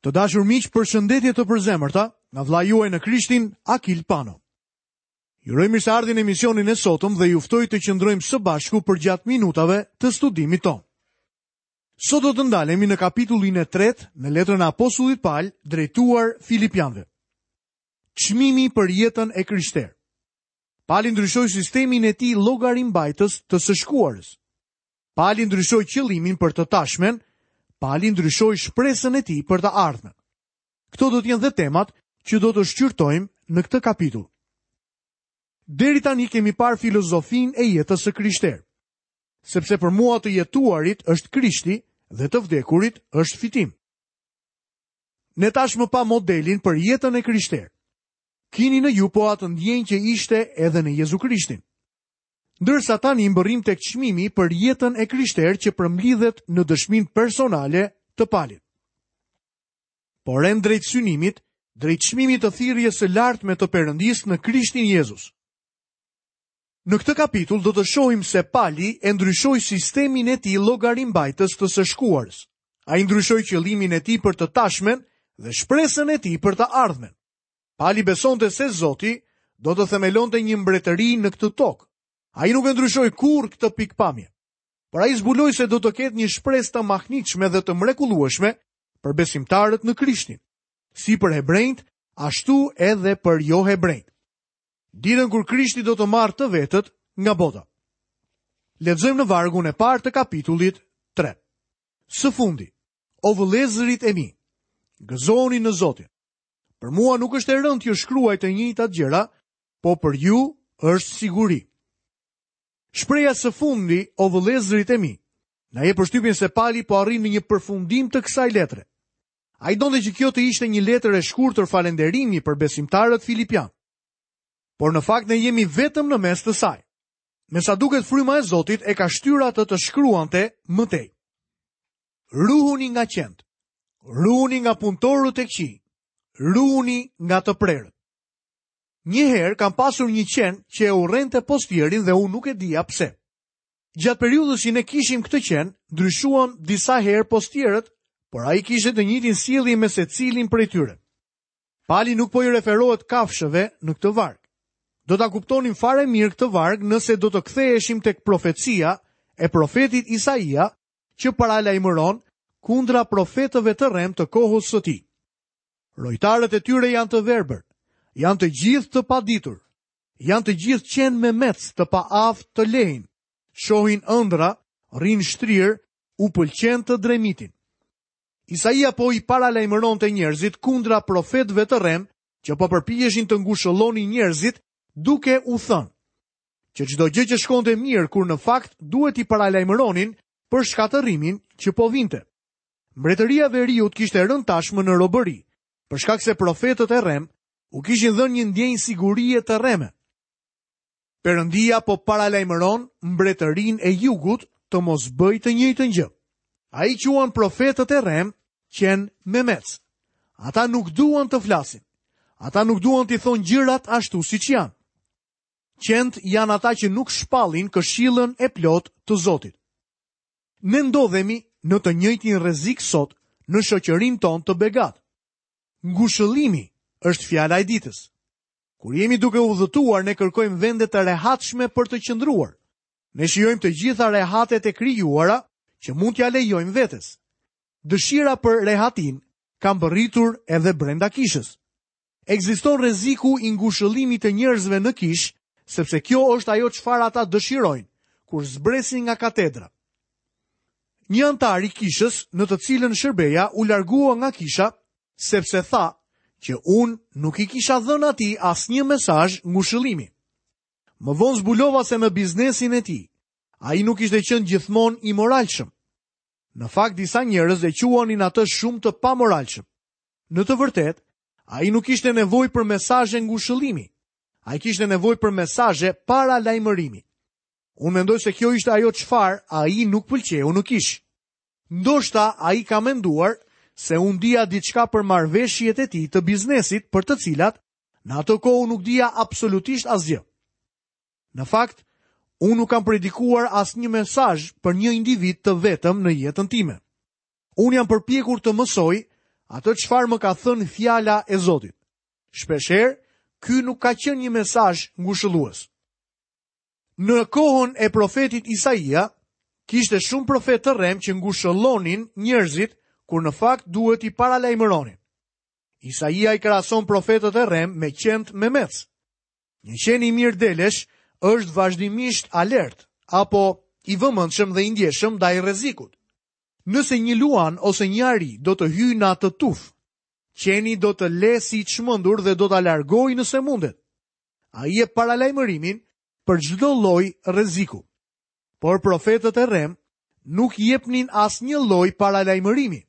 Të dashur miq, përshëndetje të përzemërta nga vëllai juaj në Krishtin, Akil Pano. Ju uroj mirëseardhjen në emisionin e sotëm dhe ju ftoj të qëndrojmë së bashku përgjatë minutave të studimit tonë. Sot do të ndalemi në kapitullin e tretë në letrën e apostullit Pal drejtuar Filipianëve. Çmimi për jetën e krishterë. Pali ndryshoi sistemin e tij llogarimbajtës të së shkuarës. Pali ndryshoi qëllimin për të tashmen, Pali ndryshoi shpresën e tij për të ardhmen. Këto do të jenë dhe temat që do të shqyrtojmë në këtë kapitull. Deri tani kemi parë filozofinë e jetës së krishterë. Sepse për mua të jetuarit është Krishti dhe të vdekurit është fitim. Ne tashmë pamë modelin për jetën e krishterë. Kini në ju po atë ndjenjë që ishte edhe në Jezu Krishtin. Ndërsa tani mbërrijmë tek çmimi për jetën e krishterë që përmblidhet në dëshminë personale të Palit. Por rend drejt synimit, drejt çmimit të thirrjes së lartme të Perëndisë në Krishtin Jezus. Në këtë kapitull do të shohim se Pali e ndryshoi sistemin e tij llogarimbajtës të së shkuarës. Ai ndryshoi qëllimin e tij për të tashmen dhe shpresën e tij për të ardhmen. Pali besonte se Zoti do të themelonte një mbretëri në këtë tokë. Ai nuk e ndryshoi kurrë këtë pikëpamje. Por ai zbuloi se do të ketë një shpresë të mahnitshme dhe të mrekullueshme për besimtarët në Krishtin, si për hebrenjtë, ashtu edhe për johebrenjtë. Ditën kur Krishti do të marrë të vetët nga bota. Lexojmë në vargun e parë të kapitullit 3. Së fundi, o vëllezërit e mi, gëzohuni në Zotin. Për mua nuk është e rëndë t'ju shkruaj të njëjtat gjëra, po për ju është siguri. Shprehja së fundi, o vëllezërit e mi, na jep përshtypjen se Pali po arrin në një përfundim të kësaj letre. Ai donte që kjo të ishte një letër e shkurtër falënderimi për besimtarët filipianë. Por në fakt ne jemi vetëm në mes të saj. Me sa duket fryma e Zotit e ka shtyrë atë të shkruante më tej. Ruhuni nga qentë, ruhuni nga punëtorët e këqij, ruhuni nga të prerët. Një herë kam pasur një qen që e urrente postierin dhe unë nuk e dija pse. Gjatë periudhës që ne kishim këtë qen, ndryshuam disa herë postierët, por ai kishte të njëjtin sjellje me secilin prej tyre. Pali nuk po i referohet kafshëve në këtë varg. Do ta kuptonim fare mirë këtë varg nëse do të ktheheshim tek profecia e profetit Isaia që paralajmëron kundra profetëve të rremë të kohës së tij. Rojtarët e tyre janë të verbër, janë të gjithë të paditur, janë të gjithë qen memecë të paaftë të lehin, shohin ëndrra, rrinë shtrirë, u pëlqen të dremitin. Isaia po i paralajmëronte njerëzit kundra profetëve të rremë që po përpiqeshin të ngushëllonin njerëzit duke u thënë që çdo gjë që shkonte mirë kur në fakt duhet t'i paralajmëronin për shkatërrimin që po vinte. Mbretëria e Veriut kishte rënë tashmë në robëri, për shkak se profetët e rremë u kishin dhënë një ndjenjë sigurie të rreme. Perëndia po paralajmëron mbretërinë e Jugut të mos bëjë të njëjtën gjë. Ai quan profetët e rremë qen memecë. Ata nuk duan të flasin. Ata nuk duan t'i thonë gjërat ashtu siç janë. Qentë janë ata që nuk shpallin këshillën e plotë të Zotit. Ne ndodhemi në të njëjtin rrezik sot në shoqërinë tonë të begatë. Ngushëllimi është fjala e ditës. Kur jemi duke udhëtuar, ne kërkojmë vende të rehatshme për të qëndruar. Ne shijojmë të gjitha rehatet e krijuara që mund t'ia lejojmë vetes. Dëshira për rehatinë ka mbërritur edhe brenda kishës. Ekziston rreziku i ngushëllimit të njerëzve në kishë, sepse kjo është ajo çfarë ata dëshirojnë kur zbresin nga katedra. Një anëtar i kishës në të cilën shërbeja u largua nga kisha sepse tha që unë nuk i kisha dhënë atij asnjë mesazh ngushëllimi. Më vonë zbulova se në biznesin e tij, ai nuk kishte qenë gjithmonë i moralshëm. Në fakt disa njerëz e quanin atë shumë të pamoralshëm. Në të vërtetë, ai nuk kishte nevojë për mesazhe ngushëllimi. Ai kishte nevojë për mesazhe paralajmërimi. Unë mendoj se kjo ishte ajo çfarë ai nuk pëlqeu në kishë. Ndoshta ai ka menduar se unë dija diçka për marrëveshjet e tij të biznesit për të cilat në atë kohë unë nuk dija absolutisht asgjë. Në fakt, unë nuk kam predikuar asnjë mesazh për një individ të vetëm në jetën time. Unë jam përpjekur të mësoj atë çfarë më ka thënë fjala e Zotit. Shpeshherë, ky nuk ka qenë një mesazh ngushëllues. Në kohën e profetit Isaia, kishte shumë profetë të rremë që ngushëllonin njerëzit kur në fakt duhet t'i paralajmëronin. Isaia i krahason profetët e rremë me qentë memecë. Një qen i mirë delesh është vazhdimisht alert apo i vëmendshëm dhe i ndjeshëm ndaj rrezikut. Nëse një luan ose një ari do të hyjë në atë tufë, qeni do të lehë si i çmendur dhe do ta largojë nëse mundet. Ai jep paralajmërimin për çdo lloj rreziku. Por profetët e rremë nuk jepnin asnjë lloj paralajmërimi.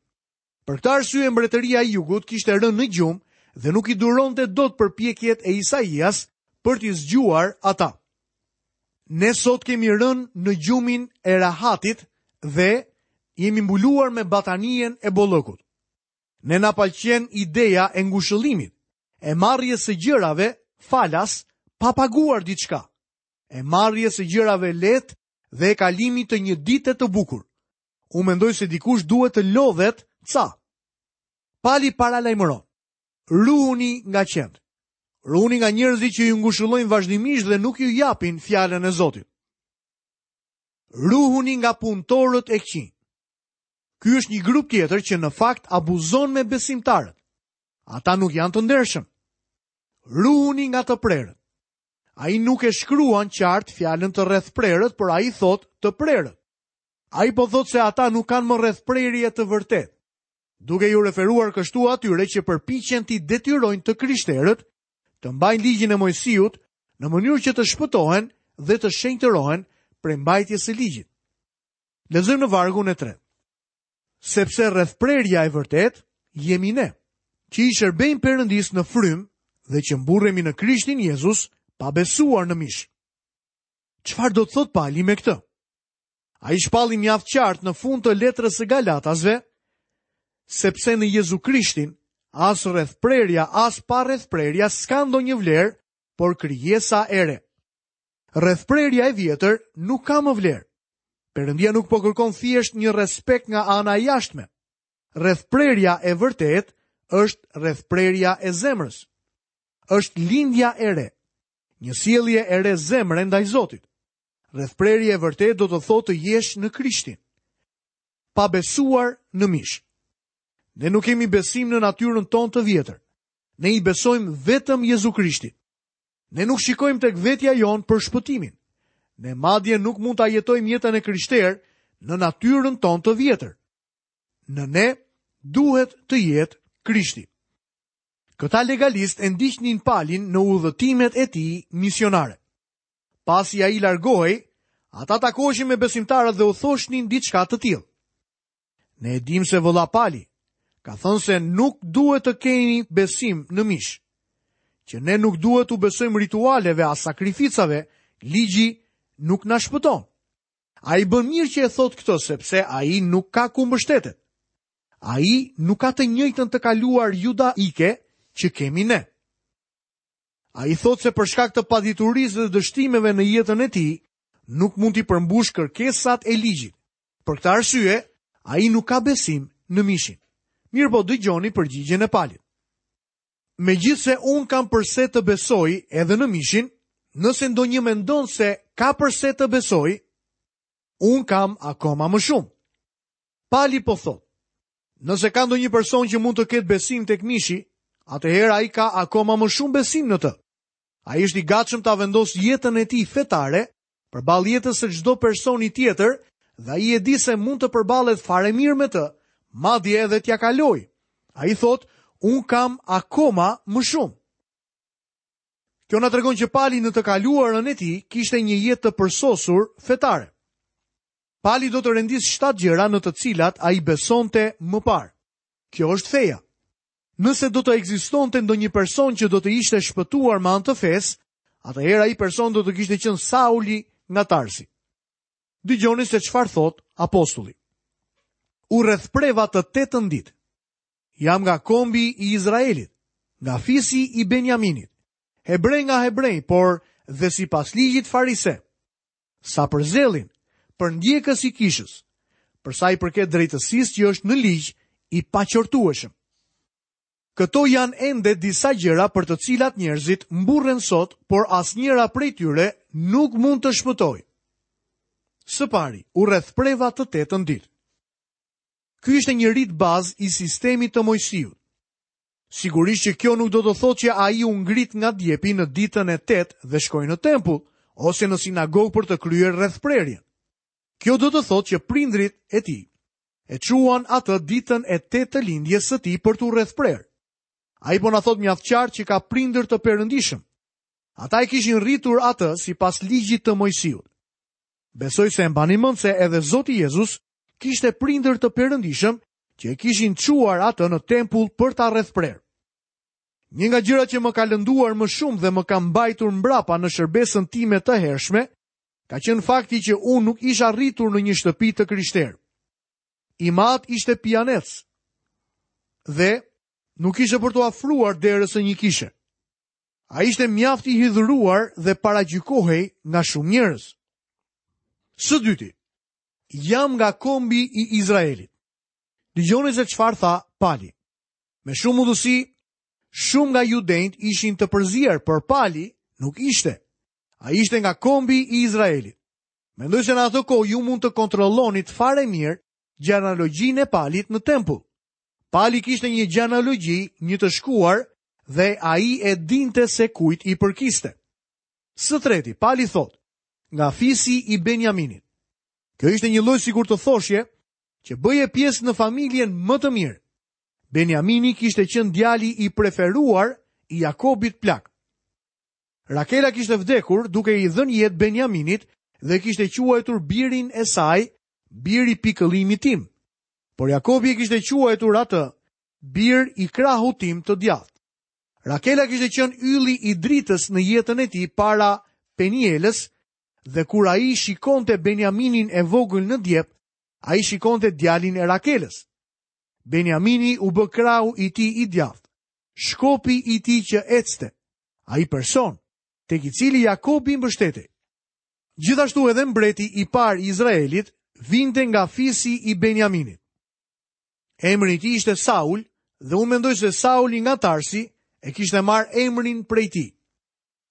Për këtë arsye mbretëria e jugut kishte rënë në gjumë dhe nuk i duronte dot përpjekjet e Isaias për t'i zgjuar ata. Ne sot kemi rënë në gjumin e rahatit dhe jemi mbuluar me batanijen e bollëkut. Ne na pëlqen ideja e ngushëllimit, e marrjes së gjërave falas pa paguar diçka, e marrjes së gjërave lehtë dhe e kalimit të një dite të bukur. Unë mendoj se dikush duhet të lodhet ca. Pali paralajmëron. Ruhuni nga qentë. Ruhuni nga njerëzit që ju ngushëllojnë vazhdimisht dhe nuk ju japin fjalën e Zotit. Ruhuni nga punëtorët e këqinj. Ky është një grup tjetër që në fakt abuzon me besimtarët. Ata nuk janë të ndershëm. Ruhuni nga të prerët. Ai nuk e shkruan qartë fjalën të rrethprerët, por ai thotë të prerët. Ai po thotë se ata nuk kanë më rrethprerje të vërtetë, duke iu referuar kështu atyre që përpiqen t'i detyrojnë të krishterët të mbajnë ligjin e Moisiut në mënyrë që të shpëtohen dhe të shenjtërohen prej mbajtjes së ligjit. Lexojmë në vargun e tretë. Sepse rrethprerja e vërtetë jemi ne, që i shërbejmë Perëndisë në frymë dhe që mburremi në Krishtin Jezus pa besuar në mish. Çfarë do të thotë Pali me këtë? Ai shpalli mjaft qartë në fund të letrës së Galatasve, sepse në Jezu Krishtin as rrethprerja as parrethprerja s'ka ndonjë vlerë, por krijesa e re. Rrethprerja e vjetër nuk ka më vlerë. Perëndia nuk po kërkon thjesht një respekt nga ana e jashtme. Rrethprerja e vërtetë është rrethprerja e zemrës. Është lindja e re. Një sjellje e re zemre ndaj Zotit. Rrethprerje e vërtetë do të thotë të jesh në Krishtin. Pa besuar në mish. Ne nuk kemi besim në natyrën tonë të vjetër. Ne i besojmë vetëm Jezu Krishtit. Ne nuk shikojmë tek vetja jonë për shpëtimin. Ne madje nuk mund ta jetojmë jetën e krishterë në natyrën tonë të vjetër. Në ne duhet të jetë Krishti. Këta legalistë e ndiqnin Palin në udhëtimet e tij misionare. Pasi ai largohej, ata takoheshin me besimtarët dhe u thoshnin diçka të tillë. Ne e dimë se vëlla Pali ka thënë se nuk duhet të kemi besim në mish, që ne nuk duhet t'u besojmë ritualeve as sakrificave, ligji nuk na shpëton. Ai bën mirë që e thotë këtë sepse ai nuk ka ku mbështetet. Ai nuk ka të njëjtën të kaluar judaike që kemi ne. Ai thotë se për shkak të paditurisë dhe dështimeve në jetën e tij, nuk mund t'i përmbushë kërkesat e ligjit. Për këtë arsye, ai nuk ka besim në mishin. Mirëpo dëgjoni përgjigjen e Palit. Megjithëse unë kam përse të besoj edhe në mishin, nëse ndonjë mendon se ka përse të besojë, unë kam akoma më shumë. Pali po thotë, Nëse ka ndonjë person që mund të ketë besim tek mishi, atëherë ai ka akoma më shumë besim në të. Ai është i gatshëm ta vendosë jetën e tij fetare përballë jetës së çdo personi tjetër dhe ai e di se mund të përballet fare mirë me të, madje edhe t'ia kalojë. Ai thotë, unë kam akoma më shumë. Kjo na tregon që Pali në të kaluarën e tij kishte një jetë të përsosur fetare. Pali do të rendisë 7 gjëra në të cilat ai besonte më parë. Kjo është feja. Nëse do të ekzistonte ndonjë person që do të ishte shpëtuar me anë të fesë, atëherë ai person do të kishte qenë Sauli nga Tarsi. Dëgjoni se çfarë thotë apostulli. U rrethpreva të tetën ditë. Jam nga kombi i Izraelit, nga fisi i Benjaminit. Hebre nga hebrenjtë, por dhe sipas ligjit farise. Sa për zellin, përndjekës i kishës, për sa i përket drejtësisë që është në ligj, i paqortueshëm. Këto janë ende disa gjëra për të cilat njerëzit mburren sot, por asnjëra prej tyre nuk mund të shpëtojë. Së pari, u rrethpreva të tetën ditë. Ky ishte një rit bazë i sistemit të Moisiut. Sigurisht që kjo nuk do të thotë që ai u ngrit nga djepi në ditën e tetë dhe shkoi në tempull ose në sinagogë për të kryer rrethprerjen. Kjo do të thotë që prindërit e tij e çuan atë ditën e tetë të lindjes së tij për t'u rrethprerë. Ai po na thotë mjaft qartë që ka prindër të perëndishëm. Ata e kishin rritur atë sipas ligjit të Moisiut. Besoj se e mbani mend se edhe Zoti Jezus kishte prindër të perëndishëm që e kishin çuar atë në tempull për ta rrethprerë. Një nga gjërat që më ka lënduar më shumë dhe më ka mbajtur mbrapa në shërbesën time të hershme, ka qenë fakti që unë nuk isha rritur në një shtëpi të krishterë. Im atë ishte pijanec dhe nuk ishte për t'u afruar derës së një kishe. Ai ishte mjaft i hidhëruar dhe paragjykohej nga shumë njerëz. Së dyti, jam nga kombi i Izraelit. Dëgjoni se çfarë tha Pali. Me shumë mundësi, shumë nga judenjtë ishin të përzier, por Pali nuk ishte. Ai ishte nga kombi i Izraelit. Mendoj se në atë kohë ju mund të kontrollonit fare mirë gjenealogjinë e Palit në tempull. Pali kishte një gjenealogji, një të shkuar dhe ai e dinte se kujt i përkiste. Së treti, Pali thotë, nga fisi i Benjaminit. Kjo ishte një lloj sikur të thoshje që bëje pjesë në familjen më të mirë. Benjamini kishte qenë djali i preferuar i Jakobit plak. Rakela kishte vdekur duke i dhënë jetë Benjaminit dhe kishte quajtur birin e saj bir i pikëllimit tim. Por Jakobi e kishte quajtur atë bir i krahut tim të djathtë. Rakela kishte qenë ylli i dritës në jetën e tij para Penielës dhe kur ai shikonte Benjaminin e vogël në djep, ai shikonte djalin e Rakelës. Benjamini u bë krahu i tij i djathtë, shkopi i tij që ecte, ai person, tek i cili Jakobi mbështetej. Gjithashtu edhe mbreti i parë i Izraelit vinte nga fisi i Benjaminit. Emri i tij ishte Saul dhe unë mendoj se Sauli nga Tarsi e kishte marrë emrin prej tij.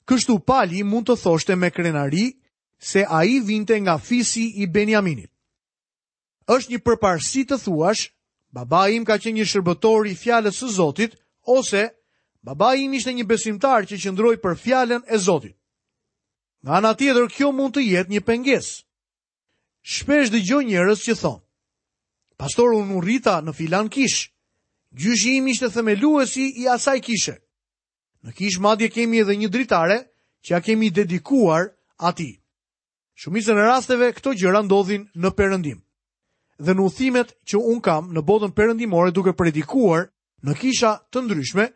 Kështu Pali mund të thoshte me krenari se ai vinte nga fisi i Benjaminit. Është një përparësi të thuash, babai im ka qenë një shërbëtor i fjalës së Zotit, ose babai im ishte një besimtar që qëndroi për fjalën e Zotit. Nga ana tjetër, kjo mund të jetë një pengesë. Shpesh dëgjoj njerëz që thonë, Pastor, unë u rrita në filan kishë. Gjyshi im ishte themeluesi i asaj kishe. Në kishë madje kemi edhe një dritare që ia kemi dedikuar atij. Shumicën e rasteve këto gjëra ndodhin në perëndim. Dhe në udhëtimet që unë kam në botën perëndimore duke predikuar në kisha të ndryshme,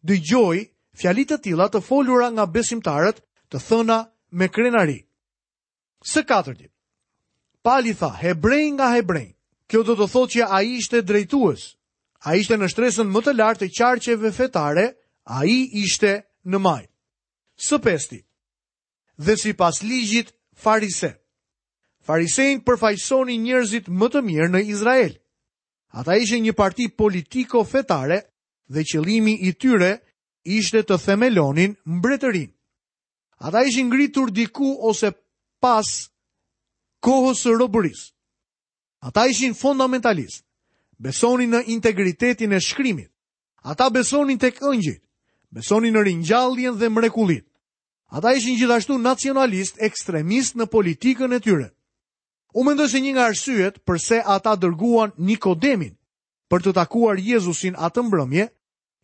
dëgjoj fjali të tilla të folura nga besimtarët të thëna me krenari. Së katërti, Pali tha, hebrej nga hebrenjtë. Kjo do të thotë që ai ishte drejtues. Ai ishte në shtresën më të lartë të qarqeve fetare, ai ishte në majë. Së pesti, dhe sipas ligjit farise. Farisenjtë përfaqësonin njerëzit më të mirë në Izrael. Ata ishin një parti politiko-fetare dhe qëllimi i tyre ishte të themelonin mbretërinë. Ata ishin ngritur diku ose pas kohës së robërisë. Ata ishin fondamentalistë. Besonin në integritetin e shkrimit. Ata besonin tek engjëjt. Besonin në ringjalljen dhe mrekullitë. Ata ishin gjithashtu nacionalistë ekstremistë në politikën e tyre. Unë mendoj se një nga arsyet përse ata dërguan Nikodemin për të takuar Jezusin atë mbrëmje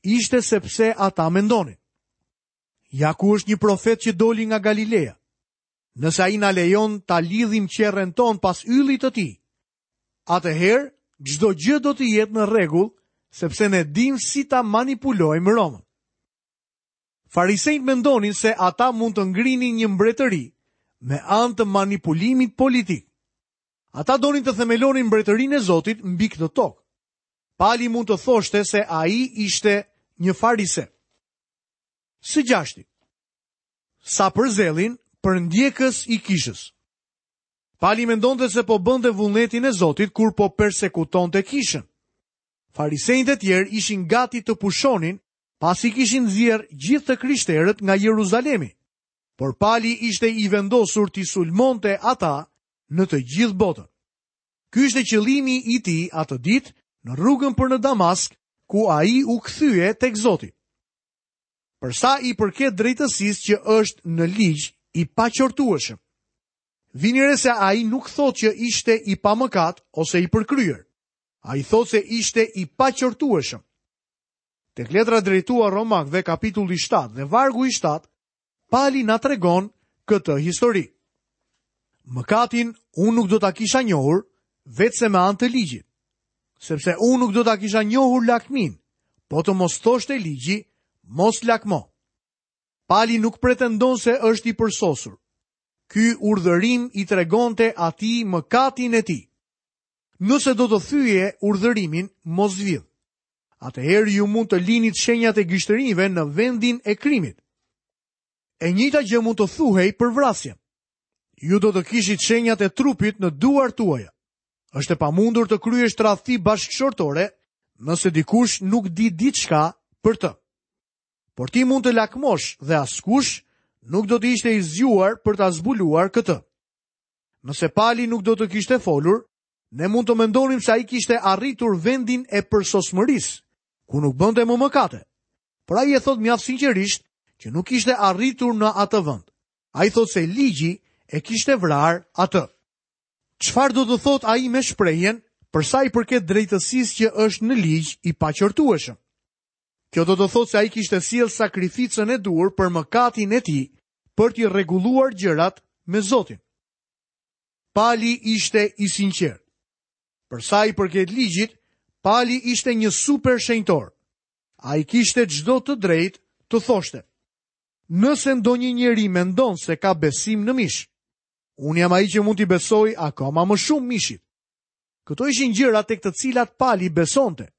ishte sepse ata mendonin. Ja ku është një profet që doli nga Galilea. Nëse ai na lejon ta lidhim qerren tonë pas yllit të tij, atëherë çdo gjë do të jetë në rregull, sepse ne dimë si ta manipulojmë Romën. Farisenjtë mendonin se ata mund të ngrinin një mbretëri me anë të manipulimit politik. Ata donin të themelonin mbretërinë e Zotit mbi këtë tokë. Pali mund të thoshte se ai ishte një farise. Së gjashti, sa për zellin, përndjekës i kishës. Pali mendonte se po bënte vullnetin e Zotit kur po persekutonte kishën. Farisenjtë e tjerë ishin gati të pushonin pasi kishin nxjerrë gjithë të krishterët nga Jeruzalemi. Por Pali ishte i vendosur t'i sulmonte ata në të gjithë botën. Ky ishte qëllimi i tij atë ditë në rrugën për në Damask, ku ai u kthye tek Zoti. Për sa i përket drejtësisë që është në ligj i paqortueshëm. Vini re se ai nuk thotë që ishte i pamëkat ose i përkryer. Ai thotë se ishte i paqortueshëm. Tek letra drejtuar Romakëve kapitulli 7 dhe vargu i 7, Pali na tregon këtë histori. Mëkatin unë nuk do ta kisha njohur veçse me anë të ligjit, sepse unë nuk do ta kisha njohur lakminë, po të mos thoshte ligji, mos lakmo. Pali nuk pretendon se është i përsosur. Ky urdhërim i tregonte atij mëkatin e tij. Nëse do të thyeje urdhërimin, mos vidh. Atëherë ju mund të linit shenjat e gishtërinjve në vendin e krimit. E njëjta gjë mund të thuhej për vrasjen. Ju do të kishit shenjat e trupit në duart tuaja. Është e pamundur të kryesh tradhti bashkëshortore nëse dikush nuk di diçka për të. Por ti mund të lakmosh dhe askush nuk do të ishte i zgjuar për ta zbuluar këtë. Nëse Pali nuk do të kishte folur, ne mund të mendonim se ai kishte arritur vendin e përsosmërisë, ku nuk bënte më mëkate. Por ai e thotë mjaft sinqerisht që nuk kishte arritur në atë vend. Ai thotë se ligji e kishte vrarë atë. Çfarë do të thotë ai me shprehjen për sa i përket drejtësisë që është në ligj i paqortueshëm? Kjo do të thotë se ai kishte sjellë sakrificën e duhur për mëkatin e tij për t'i rregulluar gjërat me Zotin. Pali ishte i sinqertë. Për sa i përket ligjit, Pali ishte një super shenjtor. Ai kishte çdo të drejtë të thoshte. Nëse ndonjë njeri mendon se ka besim në mish, unë jam ai që mund t'i besoj akoma më shumë mishit. Këto ishin gjëra tek të cilat Pali besonte.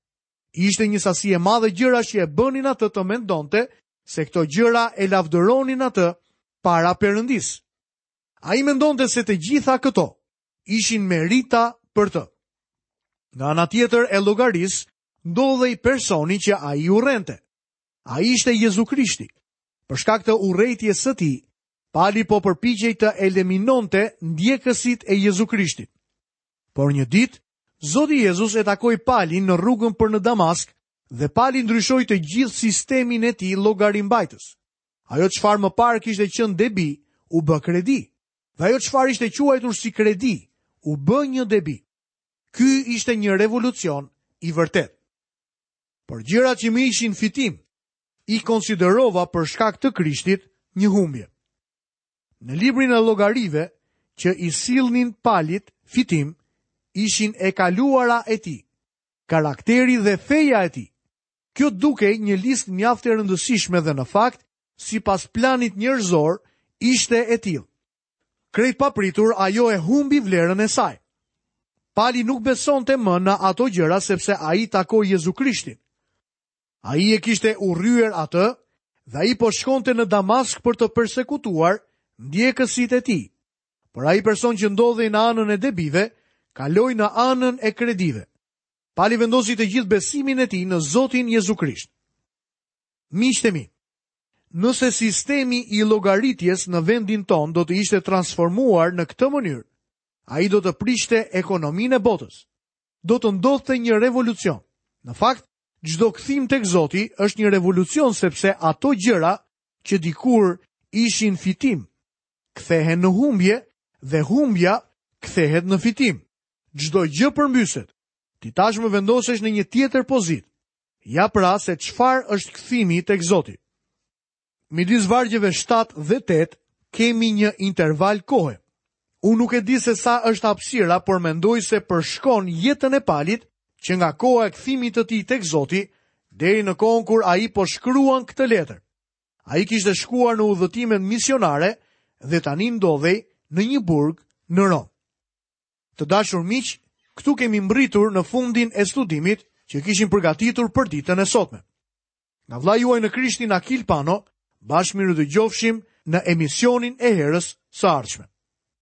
Ishte një sasi e madhe gjërash që e bënin atë të mendonte se këto gjëra e lavdëronin atë para Perëndisë. Ai mendonte se të gjitha këto ishin merita për të. Nga ana tjetër e llogarisë ndodhej personi që ai urrente. Ai ishte Jezu Krishti. Për shkak të urrejtjes së tij, Pali po përpiqej të eliminonte ndjekësit e Jezu Krishtit. Por një ditë, Zoti Jezus e takoi Palin në rrugën për në Damask dhe Pali ndryshoi të gjithë sistemin e tij llogarimbajtës. Ajo çfarë më parë kishte qenë debi, u bë kredi. Dhe ajo çfarë ishte quajtur si kredi, u bë një debi. Ky ishte një revolucion i vërtetë. Por gjërat që më ishin fitim, i konsiderova për shkak të Krishtit një humbje. Në librin e llogarive që i sillnin Palit fitim, ishin e kaluara e tij, karakteri dhe feja e tij. Kjo dukej një listë mjaft e rëndësishme dhe në fakt, sipas planit njerëzor, ishte e tillë. Krejt papritur ajo e humbi vlerën e saj. Pali nuk besonte më në ato gjëra sepse ai takoi Jezu Krishtin. Ai e kishte urryer atë dhe ai po shkonte në Damask për të persekutuar ndjekësit e tij. Por ai person që ndodhej në anën e debive, kaloi në anën e kredive. Pali vendosi të gjithë besimin e tij në Zotin Jezu Krisht. Miqtë e mi, nëse sistemi i llogaritjes në vendin tonë do të ishte transformuar në këtë mënyrë, ai do të prishte ekonominë e botës. Do të ndodhte një revolucion. Në fakt, çdo kthim tek Zoti është një revolucion sepse ato gjëra që dikur ishin fitim, kthehen në humbje dhe humbja kthehet në fitim. Çdo gjë përmbyset. Ti tashmë vendosesh në një tjetër pozitë. Ja pra se çfarë është kthimi tek Zoti. Midis vargjeve 7 dhe 8 kemi një interval kohe. Unë nuk e di se sa është hapësira, por mendoj se përshkon jetën e Palit që nga koha e kthimit të tij tek Zoti deri në kohën kur ai po shkruan këtë letër. Ai kishte shkuar në udhëtimet misionare dhe tani ndodhej në një burg në Romë. Të dashur miq, këtu kemi mbërritur në fundin e studimit që kishim përgatitur për ditën e sotme. Nga vëllai juaj në Krishtin Akil Pano, bashkë mirudëgjofshim në emisionin e herës së ardhshme.